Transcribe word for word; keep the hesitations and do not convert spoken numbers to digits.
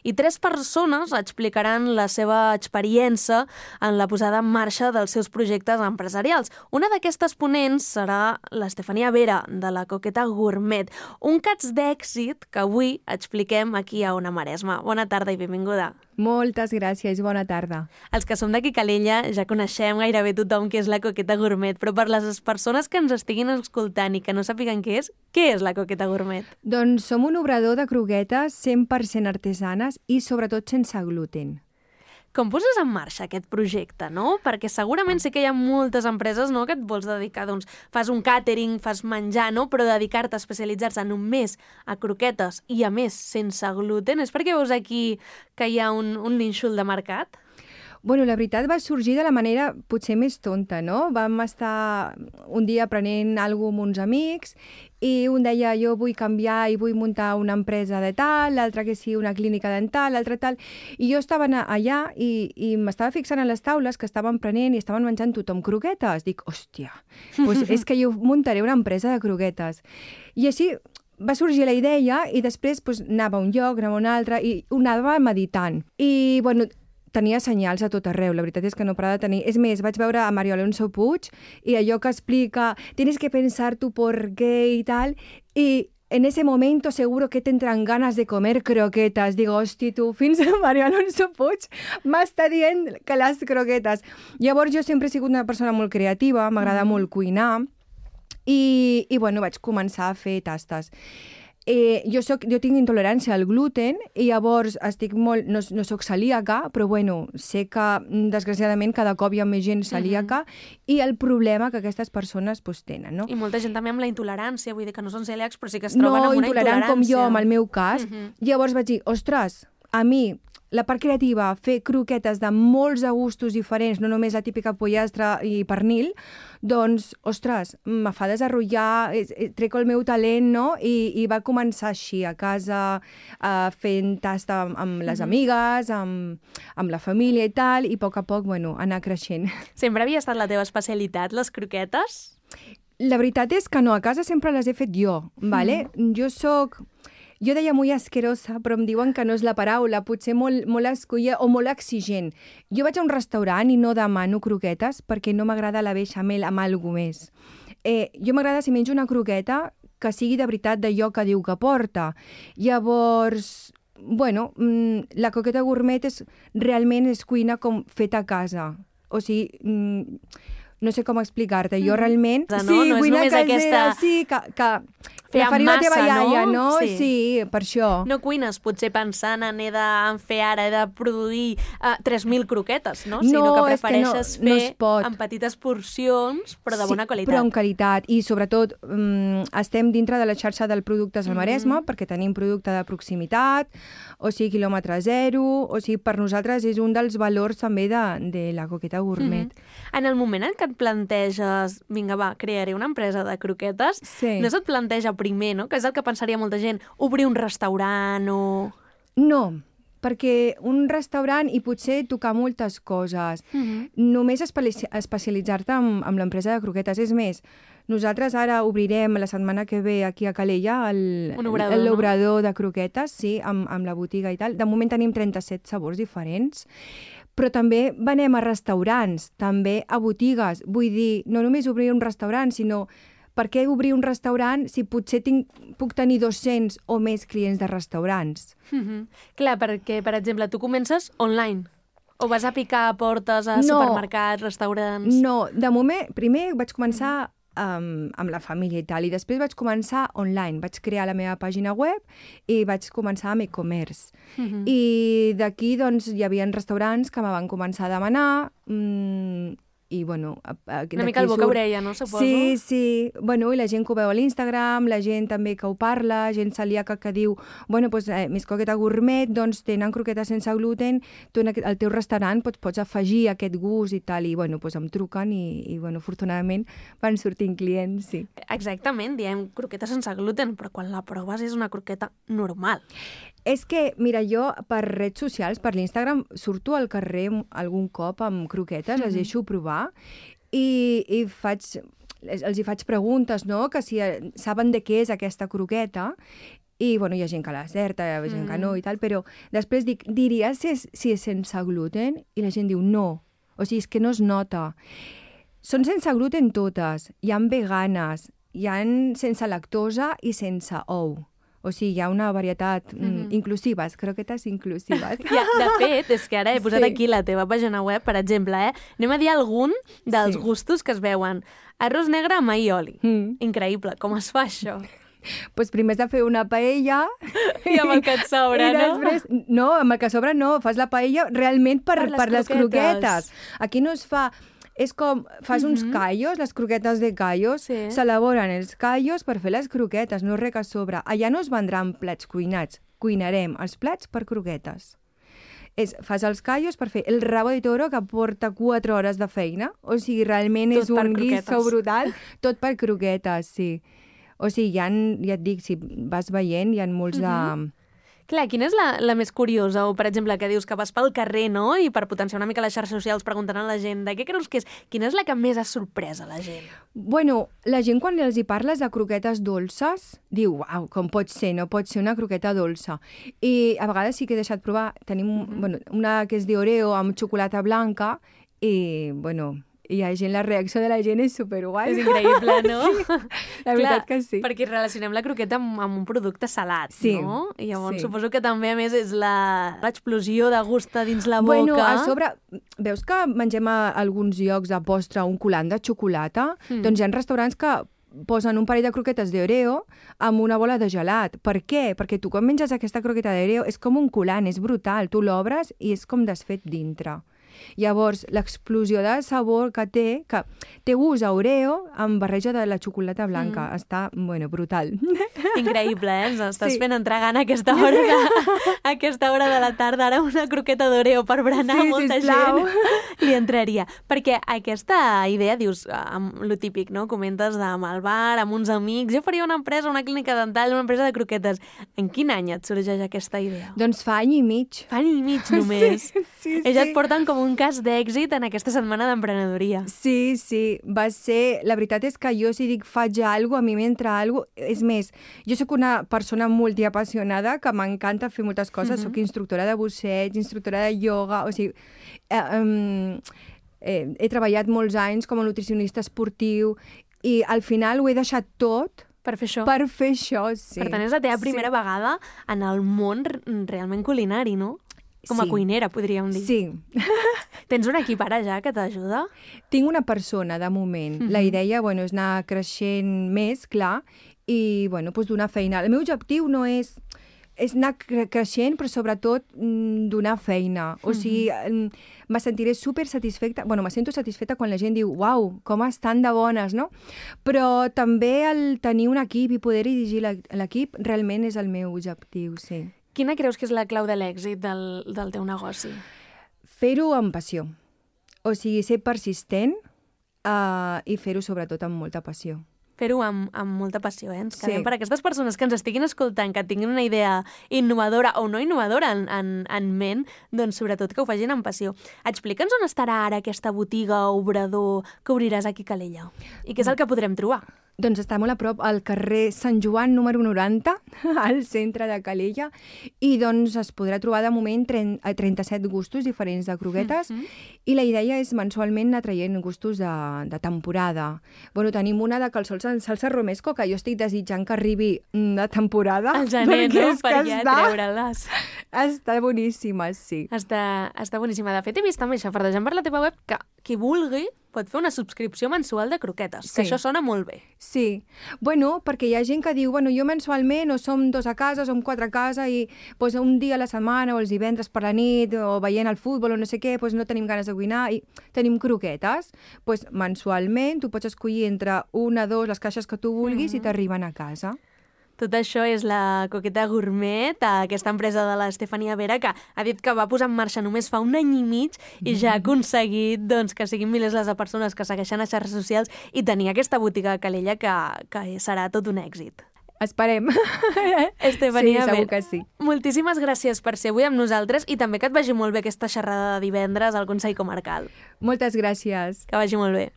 i tres persones explicaran la seva experiència en la posada en marxa dels seus projectes empresarials. Una d'aquestes ponents serà l'Estefania Vera, de la Coqueta Gourmet, un cas d'èxit que avui expliquem aquí a Ona Maresma. Bona tarda i benvinguda. Moltes gràcies, bona tarda. Els que som d'aquí Calella ja coneixem gairebé tothom què és la Coqueta Gourmet, però per les persones que ens estiguin escoltant i que no sàpiguen què és, què és la Coqueta Gourmet? Doncs som un obrador de croquetes cent per cent artesanes i sobretot sense gluten. Com poses en marxa aquest projecte, no? Perquè segurament sí que hi ha moltes empreses, no?, que et vols dedicar, doncs, fas un càtering, fas menjar, no?, però dedicar-te a especialitzar-se només a croquetes i, a més, sense gluten, és perquè veus aquí que hi ha un, un nínxol de mercat? Bueno, la veritat va sorgir de la manera potser més tonta, no? Vam estar un dia aprenent alguna cosa amb uns amics i un deia jo vull canviar i vull muntar una empresa de tal, l'altre que sí, una clínica dental, l'altre tal. I jo estava allà i, i m'estava fixant en les taules que estaven prenent i estaven menjant tothom croquetes. Dic, hòstia, doncs és que jo muntaré una empresa de croquetes. I així va sorgir la idea i després doncs, anava a un lloc, anava a un altre i ho anava meditant. I, bueno, tenia senyals a tot arreu, la veritat és que no parava de tenir. És més, vaig veure a Mario Alonso Puig i allò que explica tienes que pensar tu por qué i tal, i en ese momento seguro que tendrán ganas de comer croquetas. Digo, hosti, tu, fins a Mario Alonso Puig m'està dient que les croquetes. Llavors jo sempre he sigut una persona molt creativa, m'agrada mm. molt cuinar, i, i bueno, vaig començar a fer tastes. Eh, jo, soc, jo tinc intolerància al gluten i llavors estic molt, no, no soc celíaca, però bueno, sé que desgraciadament cada cop hi ha més gent celíaca uh-huh. i el problema que aquestes persones pues, tenen. No? I molta gent també amb la intolerància, vull dir que no són celíacs però sí que es troben no, amb una intolerància. No, intolerant com jo, en el meu cas. Uh-huh. Llavors vaig dir, ostres, a mi la part creativa, fer croquetes de molts de gustos diferents, no només la típica pollastre i pernil, doncs, ostres, me fa desenvolupar, treco el meu talent, no? I, i va començar així, a casa, uh, fent tasta amb, amb les amigues, amb, amb la família i tal, i a poc a poc, bueno, anar creixent. Sempre havia estat la teva especialitat, les croquetes? La veritat és que no, a casa sempre les he fet jo, vale? Mm. Jo soc... Jo deia molt asquerosa, però em diuen que no és la paraula, potser molt, molt escolla o molt exigent. Jo vaig a un restaurant i no demano croquetes perquè no m'agrada la beixamel amb alguna més. Eh, jo m'agrada si menjo una croqueta que sigui de veritat d'allò que diu que porta. Llavors, bueno, la Coqueta Gourmet és, realment és cuina com feta a casa. O sigui... no sé com explicar-te, jo realment... No, sí, no cuina casera, aquesta... sí, que... que fer amb massa, la teva iaia, no? no? Sí. sí, per això. No cuines potser pensant en he de fer ara, he de produir uh, tres mil croquetes, no? No, sinó que prefereixes és que no, fer no en petites porcions, però de sí, bona qualitat. Però amb qualitat. I sobretot um, estem dintre de la xarxa del Productes al Maresme, mm-hmm. perquè tenim producte de proximitat, o sigui, quilòmetre zero, o sigui, per nosaltres és un dels valors també de, de la Coqueta Gourmet. Mm-hmm. En el moment en què et planteges, vinga va, crearé una empresa de croquetes, sí. no se't planteja primer, no? Que és el que pensaria molta gent, obrir un restaurant o... No, perquè un restaurant i potser tocar moltes coses. Uh-huh. Només espe- especialitzar-te amb, amb l'empresa de croquetes. És més, nosaltres ara obrirem la setmana que ve aquí a Calella el, obrador, l'obrador no? de croquetes, sí, amb, amb la botiga i tal. De moment tenim trenta-set sabors diferents, però també venem a restaurants, també a botigues. Vull dir, no només obrir un restaurant, sinó... Per què obrir un restaurant si potser tinc, puc tenir dos-cents o més clients de restaurants? Mm-hmm. Clar, perquè, per exemple, tu comences online o vas a picar a portes a no, supermercats, restaurants? No, de moment, primer vaig començar um, amb la família i tal, i després vaig començar online. Vaig crear la meva pàgina web i vaig començar amb e-commerce. Mm-hmm. I d'aquí, doncs, hi havia restaurants que me van començar a demanar... Mmm, i, bueno... Una mica el boca-orella, no? Suposo. Sí, sí. Bueno, i la gent que ho veu a l'Instagram, la gent també que ho parla, gent celíaca que diu, bueno, doncs, eh, més Coqueta Gourmet, doncs tenen croquetes sense gluten, tu en el teu restaurant pots, pots afegir aquest gust i tal, i, bueno, doncs em truquen i, i bueno, afortunadament van sortint clients, sí. Exactament, diem croquetes sense gluten, però quan la proves és una croqueta normal. És que, mira, jo per redes socials, per l'Instagram, surto al carrer algun cop amb croquetes, mm-hmm. les deixo provar i, i faig, els hi faig preguntes, no?, que si saben de què és aquesta croqueta I, bueno, hi ha gent que l'acerta, hi ha gent mm. que no i tal, però després dic, diries si és, si és sense gluten? I la gent diu, no. O sigui, és que no es nota. Són sense gluten totes. Hi ha veganes, hi ha sense lactosa i sense ou. O sigui, hi ha una varietat mm, inclusives, croquetes inclusives. Ja, de fet, és que ara he posat sí. aquí la teva pàgina web, per exemple, eh? Anem a dir algun dels sí. gustos que es veuen. Arròs negre amb aioli. Mm. Increïble. Com es fa això? Pues primer has de fer una paella... I amb el que et sobra, no? Després, no, amb el que sobra no. Fas la paella realment per, per, les, per les croquetes. Aquí no es fa... És com, fas mm-hmm. uns callos, les croquetes de callos, sí. s'elaboren els callos per fer les croquetes, no res que sobre. Allà no es vendran plats cuinats, cuinarem els plats per croquetes. És, fas els callos per fer el rabo de toro que porta quatre hores de feina, o sigui, realment tot és un guiso brutal, tot per croquetes, sí. O sigui, hi ha, ja et dic, si vas veient, hi ha molts mm-hmm. de... Clar, quina és la, la més curiosa? O, per exemple, que dius que vas pel carrer, no?, i per potenciar una mica les xarxes socials preguntant a la gent de què creus que és? Quina és la que més ha sorprès a la gent? Bueno, la gent quan els hi parles de croquetes dolces, diu, uau, com pot ser? No pot ser una croqueta dolça. I a vegades sí que he deixat provar, tenim mm-hmm. bueno, una que és d'Oreo amb xocolata blanca i, bueno... I la gent, la reacció de la gent és superguai. És increïble, no? Sí, la veritat Clar, que sí. Perquè relacionem la croqueta amb, amb un producte salat, sí, no? I llavors sí. suposo que també, a més, és l'explosió de gust dins la boca. Bueno, a sobre, veus que mengem a alguns llocs de postre un coulant de xocolata? Mm. Doncs hi ha restaurants que posen un parell de croquetes d'Oreo amb una bola de gelat. Per què? Perquè tu quan menges aquesta croqueta d'Oreo és com un coulant, és brutal. Tu l'obres i és com desfet dintre. Llavors, l'explosió de sabor que té, que té gust a Oreo amb barreja de la xocolata blanca. Mm. Està, bueno, brutal. Increïble, eh? Ens estàs sí. fent entrar gana a aquesta hora de, a aquesta hora de la tarda. Ara una croqueta d'Oreo per berenar sí, molta sisplau. gent li entraria. Perquè aquesta idea, dius, amb lo típic, no? Comentes amb el bar, amb uns amics. Jo faria una empresa, una clínica dental, una empresa de croquetes. En quin any et sorgeix aquesta idea? Doncs fa any i mig. Fa any i mig només. Sí, sí, Ells sí. et porten com un cas d'èxit en aquesta setmana d'emprenedoria. Sí, sí, va ser... La veritat és que jo si dic faig alguna cosa, a mi m'entra alguna cosa... És més, jo sóc una persona multiapassionada que m'encanta fer moltes coses. Mm-hmm. Soc instructora de busseig, instructora de ioga, o sigui... Eh, um, eh, he treballat molts anys com a nutricionista esportiu i al final ho he deixat tot per fer això. Per fer això, sí. Per tant, és la teva primera sí. vegada en el món realment culinari, no? Com a sí. cuinera, podríem dir. Sí. Tens un equip ara ja que t'ajuda? Tinc una persona, de moment. Mm-hmm. La idea, bueno, és anar creixent més, clar, i, bueno, doncs donar feina. El meu objectiu no és... és anar cre creixent, però sobretot mm, donar feina. O mm-hmm. sigui, mm, me sentiré super satisfeta, bueno, me sento satisfeta quan la gent diu, uau, com estan de bones, no? Però també el tenir un equip i poder dirigir l'equip realment és el meu objectiu, sí. Quina creus que és la clau de l'èxit del, del teu negoci? Fer-ho amb passió. O sigui, ser persistent uh, i fer-ho sobretot amb molta passió. Fer-ho amb, amb molta passió, eh? Ens quedem sí. per aquestes persones que ens estiguin escoltant, que tinguin una idea innovadora o no innovadora en, en, en ment, doncs sobretot que ho facin amb passió. Explica'ns on estarà ara aquesta botiga o obrador que obriràs aquí a Calella i què és el que podrem trobar. Doncs està molt a prop al carrer Sant Joan número noranta, al centre de Calella, i doncs es podrà trobar de moment trenta-set gustos diferents de croquetes, mm-hmm. i la idea és mensualment anar traient gustos de, de temporada. Bueno, tenim una de calçols en salsa romesco, que jo estic desitjant que arribi de temporada. Al gener, no? Per ja treure-les. Està boníssima, sí. Està, està boníssima. De fet, he vist també, xafardejant per la teva web, que qui vulgui pot fer una subscripció mensual de croquetes, sí. que això sona molt bé. Sí. Bueno, perquè hi ha gent que diu, bueno, jo mensualment o som dos a casa, som quatre a casa i pues, un dia a la setmana o els divendres per la nit o veient el futbol o no sé què, pues, no tenim ganes de cuinar i tenim croquetes. Pues, mensualment tu pots escollir entre una, dos, les caixes que tu vulguis mm-hmm. i t'arriben a casa. Tot això és la Coqueta Gourmet, aquesta empresa de l'Estefania Vera, que ha dit que va posar en marxa només fa un any i mig i ja ha aconseguit doncs, que siguin milers les persones que segueixen a xarxes socials i tenir aquesta botiga a Calella que, que serà tot un èxit. Esperem. Estefania sí, segur Vera. que sí. Moltíssimes gràcies per ser avui amb nosaltres i també que et vagi molt bé aquesta xerrada de divendres al Consell Comarcal. Moltes gràcies. Que vagi molt bé.